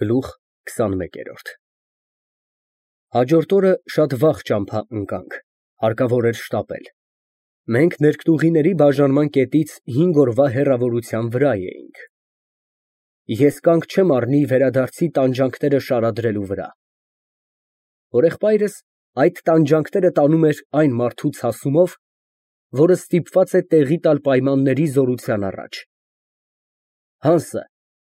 Գլուխ 21 Հաջորդ օրը շատ վաղ ճամփա ընկանք, հարկավոր էր շտապել։ Մենք ներկտուղիների բաժանման կետից 5 օրվա հեռավորության վրա էինք։ Ես կանգ չեմ առնի վերադարձի տանջանքները շարադրելու վրա։ Հորեղբայրս այդ տանջանքները տանում էր այն մարդուց հասումով, որը ստիպված է տեղի տալ պայմանների զորության առաջ։ Հանսը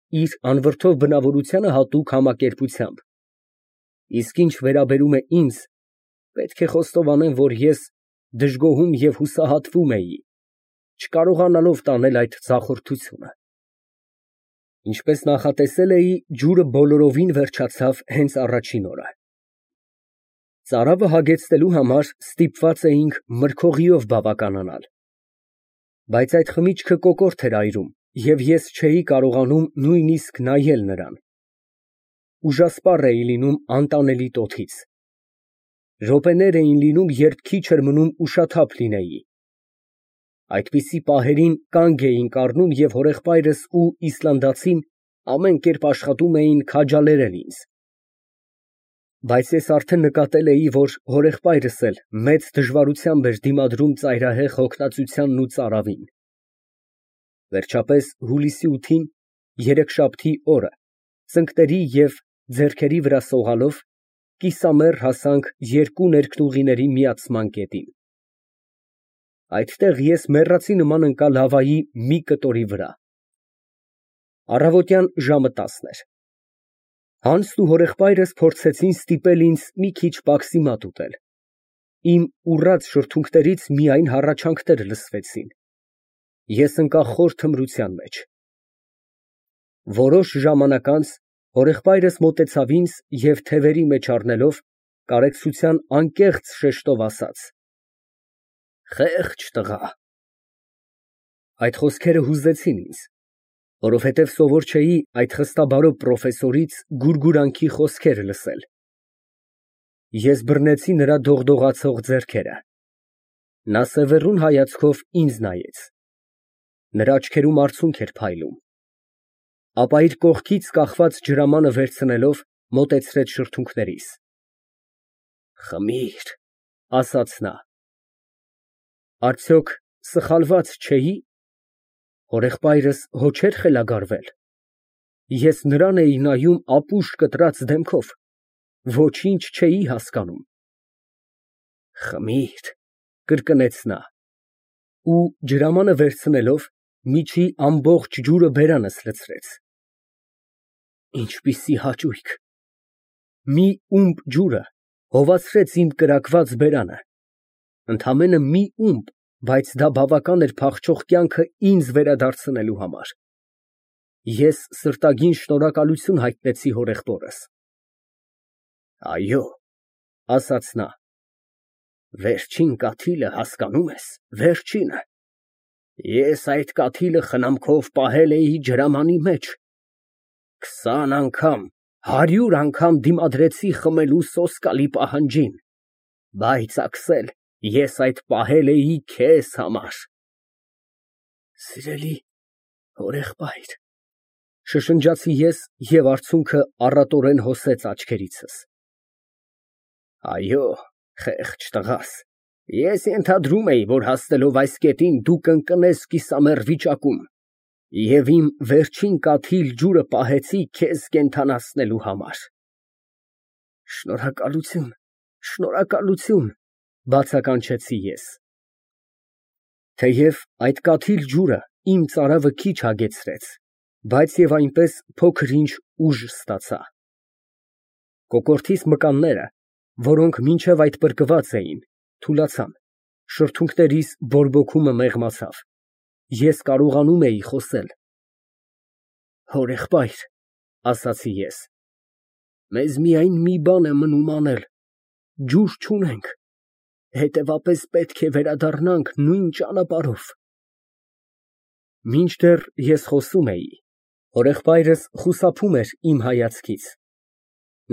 իր անվրդով բնավորությանը հատուկ համակերպությամբ, իսկ ինչ վերաբերում է ինձ, պետք է խոստովանեմ, որ ես դժգոհում և հուսահատվում էի, չկարողանալով տանել այդ ձախորդությունը։ Ինչպես նախատեսել էի, ջուրը բոլորովին վերջացավ հենց առաջին օրը։ Ծարավը հագեցնելու համար ստիպված էինք մրգօղիով բավականանալ, բայց այդ խմիչքը կոկորդ էր այրում, և ես չէի կարողանում նույնիսկ նայել նրան։ Ուժասպառ էի լինում անտանելի տոթից։ Րոպեներ էին լինում, երբ քիչ էր մնում ուշաթափ լինեի։ Այդպիսի պահերին կանգ էինք առնում և հորեղբայրս ու իսլանդացին ամեն կերպ աշխատում էին քաջալերել ինձ։ Բայց ես արդեն նկատել էի, որ հորեղբայրս էլ մեծ դժվարությամբ էր դիմադրում ծայրահեղ հոգնածությանն ու ծարավին։ Վերջապես հուլիսի 8-ին, երեքշաբթի օրը, ծնկների և ձեռքերի վրա սողալով, կիսամեռ հասանք երկու ներկտուղիների միացման կետին։ Այդտեղ ես մեռածի նման ընկա լավայի մի կտորի վրա։ Առավոտյան ժամը 10 էր։ Հանսն ու հորեղբայրս փորձեցին ստիպել ինձ մի քիչ պաքսիմատ ուտել։ Իմ ուռած շրթունքներից միայն հառաչանքներ լսվեցին։ Ես ընկա խոր թմրության մեջ։ Որոշ ժամանակ անց հորեղբայրս մոտեցավ ինձ և թևերի մեջ առնելով, կարեկցության անկեղծ շեշտով ասաց. «Խեղճ տղա»։ Այդ խոսքերը հուզեցին ինձ, որովհետև սովոր չէի այդ խստաբարո պրոֆեսորից գուրգուրանքի խոսքեր լսել։ Ես բռնեցի նրա դողդողացող ձեռքերը։ Նա սևեռուն հայացքով ինձ նայեց։ Նրա աչքերում արցունք էր փայլում, ապա իր կողքից կախված ջրամանը վերցնելով մոտեցրեց շրթունքներիս։ «Խմիր», ասաց նա։ Արդյոք սխալված չէի՞։ Հորեղբայրս հո չէր խելագարվել։ Ես նրան էի նայում ապուշ կտրած դեմքով, ոչինչ չէի հասկանում։ «Խմիր», կրկնեց նա, ու ջրամանը վերցնելով, միջի ամբողջ ջուրը բերանս լցրեց։ Ինչպիսի հաճույք։ Մի ումպ ջուրը հովացրեց իմ կրակված բերանը։ Ընդամենը մի ումպ, բայց դա բավական էր փախչող կյանքը ինձ վերադարձնելու համար։ Ես սրտագին շնորհակալություն հայտնեցի հորեղբորս։ «Այո», ասաց նա, «վերջին կաթիլը, հասկանում ես, վերջինը։ Ես այդ կաթիլը խնամքով պահել էի ջրամանի մեջ։ 20 անգամ, 100 անգամ դիմադրեցի խմելու սոսկալի պահանջին, բայց, Աքսել, ես այդ պահել էի քեզ համար»։ Սիրելի հորեղբայր, շշնջացի ես և արցունքը առատորեն հոսեց աչքերիցս։ Այո, խեղճ տղաս, ես ենթադրում էի, որ հասնելով այս կետին դու կընկնես կիսամեռ վիճակում, և իմ վերջին կաթիլ ջուրը պահեցի քեզ կենդանացնելու համար։ Շնորհակալություն, շնորհակալություն, բացականչեցի ես։ Թեև այդ կաթիլ ջուրը իմ ծարավը քիչ հագեցրեց, բայց և այնպես փոքր֊ինչ ուժ ստացա։ Կոկորդիս մկանները, որոնք մինչև այդ պրկված էին, թուլացան, շրթունքներիս բորբոքումը մեղմացավ, ես կարողանում էի խոսել։ Հորեղբայր, ասացի ես, մեզ միայն մի բան է մնում անել, ջուր չունենք, հետևապես պետք է վերադառնանք նույն ճանապարհով։ Մինչդեռ ես խոսում էի, հորեղբայրս խուսափում էր իմ հայացքից։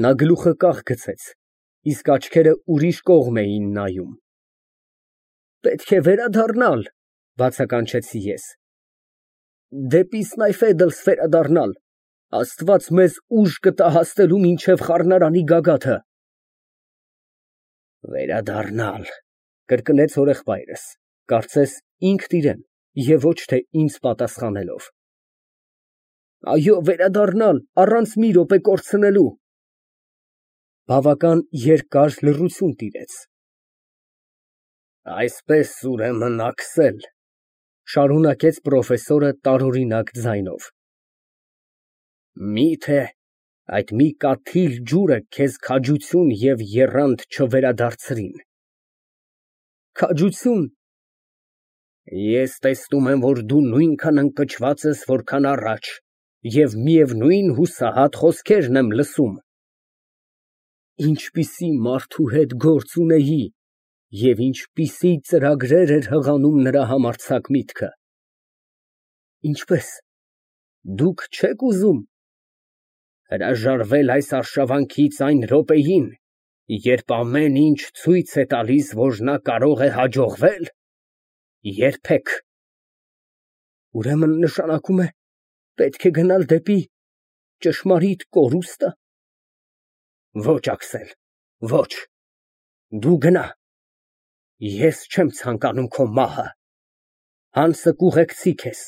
Նա գլուխը կախ գցեց, իսկ աչքերը ուրիշ կողմ էին նայում։ Պետք է վերադառնալ, բացականչեցի ես։ Դեպի Սնայֆեդլս վերադառնալ, Աստված մեզ ուժ կտա հասնելու մինչև խառնարանի գագաթը։ Վերադառնալ, կրկնեց հորեղբայրս, կարծես ինքն իրեն և ոչ թե ինձ պատասխանելով։ Այո, վերադառնալ, առանց մի րոպե կորցնելու։ Բավական երկար լռություն տիրեց։ Այսպես ուրեմն աքսել, շարունակեց պրոֆեսորը տարօրինակ ձայնով։ Միթե այդ մի կաթիլ ջուրը քեզ քաջություն և եռանդ չվերադարձրին։ Քաջություն։ Ես տեսնում եմ, որ դու նույնքան ընկճված ես, որքան առաջ, և միևնույն հուսահատ խոսքերն եմ լսում։ Ինչպիսի մարդու հետ գործ ունեի և ինչպիսի ծրագրեր էր հղանում նրա համարձակ միտքը։ Ինչպես, դուք չեք ուզում հրաժարվել այս արշավանքից այն րոպեին, երբ ամեն ինչ ցույց է տալիս, որ նա կարող է հաջողվել։ Երբեք։ Ուրեմն նշանակում է, պետք է գնալ դեպի ճշմարիտ կորուստը։ Ոչ, Աքսել, ոչ, դու գնա, ես չեմ ցանկանում քո մահը, հանցը կուղեկցի քեզ,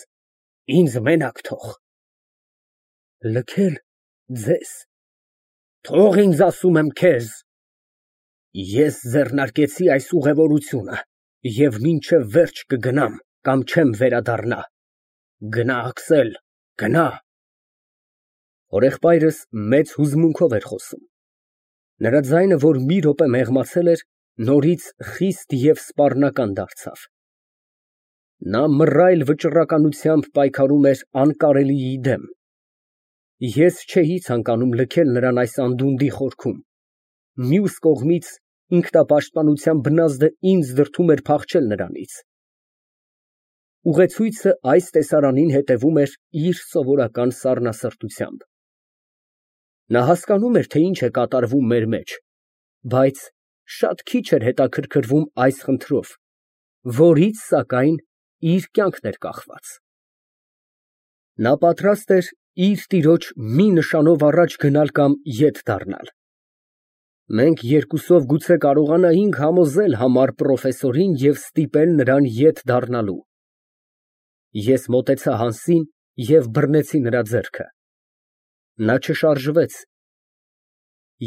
ինձ մենակ թող։ Լքել ձեզ, թող ինձ ասում եմ քեզ, ես ձեռնարկեցի այս ուղևորությունը և մինչև վերջ կգնամ կամ չեմ վերադառնա, գնա, Աքսել, գնա։ Հորեղբայրս մեծ հուզմունքով էր խոսում։ Նրա ձայնը, որ մի րոպե մեղմացել էր, նորից խիստ և սպառնական դարձավ։ Նա մռայլ վճռականությամբ պայքարում էր անկարելիի դեմ։ Ես չէի ցանկանում լքել նրան այս անդունդի խորքում, մյուս կողմից ինքնապաշտպանության բնազդը ինձ դրդում էր փախչել նրանից։ Ուղեցույցը այս տեսարանին հետևում էր իր սովորական սառնասրտությամբ։ Նա հասկանում էր, թե ինչ է կատարվում մեր մեջ, բայց շատ քիչ էր հետաքրքրվում այս խնդրով, որից, սակայն, իր կյանքն էր կախված։ Նա պատրաստ էր իր տիրոջ մի նշանով առաջ գնալ կամ ետ դառնալ։ Մենք երկուսով գուցե կարողանայինք համոզել համառ պրոֆեսորին և ստիպել նրան ետ դառնալու։ Ես մոտեցա Հանսին և բռնեցի նրա ձեռքը։ Նա չշարժվեց։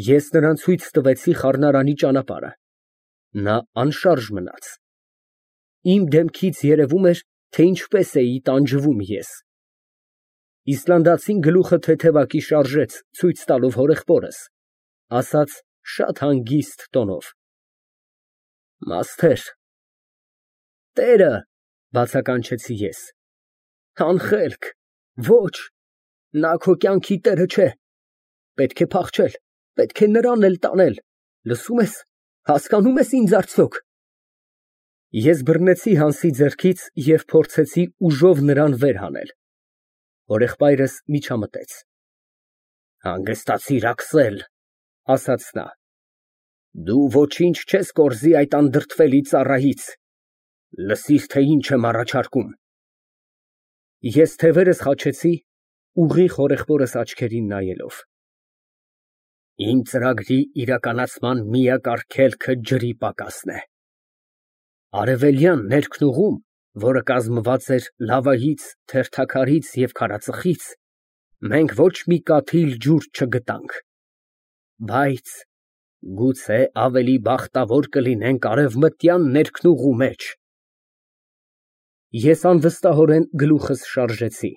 Ես նրան ցույց տվեցի խառնարանի ճանապարհը։ Նա անշարժ մնաց։ Իմ դեմքից երևում էր, թե ինչպես էի տանջվում ես։ Իսլանդացին գլուխը թեթևակի շարժեց, ցույց տալով հորեղբորս, ասաց շատ հանգիստ տոնով. Մասթեր։ Տերը, բացականչեցի ես։ Անխելք, ոչ, նա քո կյանքի տերը չէ։ Պետք է փախչել, պետք է նրան էլ տանել, լսում ես, հասկանում ես ինձ արդյոք։ Ես բռնեցի Հանսի ձեռքից և փորձեցի ուժով նրան վեր հանել։ Հորեղբայրս միջամտեց։ Հանգստացիր, Աքսել, ասաց նա։ Դու ոչինչ չես կորզի այդ անդրդվելի ծառայից։ Լսիր, թե ինչ եմ առաջարկում։ Ես թևերս խաչեցի, ուղիղ հորեղբորս աչքերին նայելով։ Իմ ծրագրի իրականացման միակ արգելքը ջրի պակասն է։ Արևելյան ներքնուղում, որը կազմված էր լավայից, թերթաքարից և քարածխից, մենք ոչ մի կաթիլ ջուր չգտանք, բայց գուցե ավելի բախտավոր կլինենք արևմտյան ներքնուղու մեջ։ Ես անվստահորեն գլուխս շարժեցի։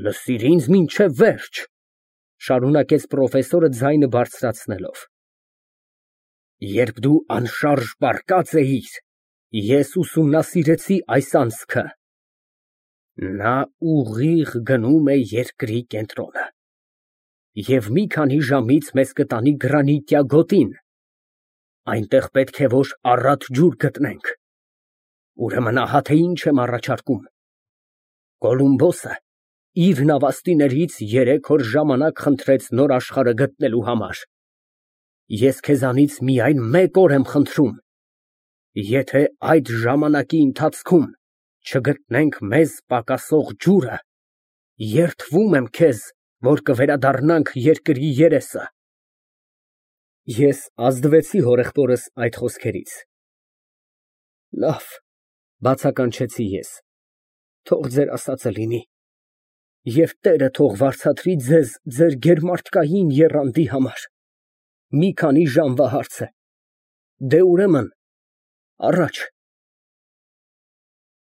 Լսիր ինձ մինչև վերջ, շարունակեց պրոֆեսորը ձայնը բարձրացնելով։ Երբ դու անշարժ պառկած էիր, ես ուսումնասիրեցի այս անցքը։ Նա ուղիղ գնում է երկրի կենտրոնը և մի քանի ժամից մեզ կտանի գրանիտյա գոտին։ Այնտեղ պետք է որ առատ ջուր գտնենք։ Ուրեմն ահա թե ինչ եմ առաջարկում։ Կոլումբոսը իր նավաստիներից 3 օր ժամանակ խնդրեց նոր աշխարհը գտնելու համար։ Ես քեզանից միայն 1 օր եմ խնդրում։ Եթե այդ ժամանակի ընթացքում չգտնենք մեզ պակասող ջուրը, երդվում եմ քեզ, որ կվերադառնանք երկրի երեսը։ Ես ազդվեցի հորեղբորս այդ խոսքերից։ Լավ, բացականչեցի ես, թող ձեր ասածը լինի, և Տերը թող վարձատրի ձեզ ձեր գերմարդկային եռանդի համար, մի քանի ժամվա հարց է, դե ուրեմն, առաջ։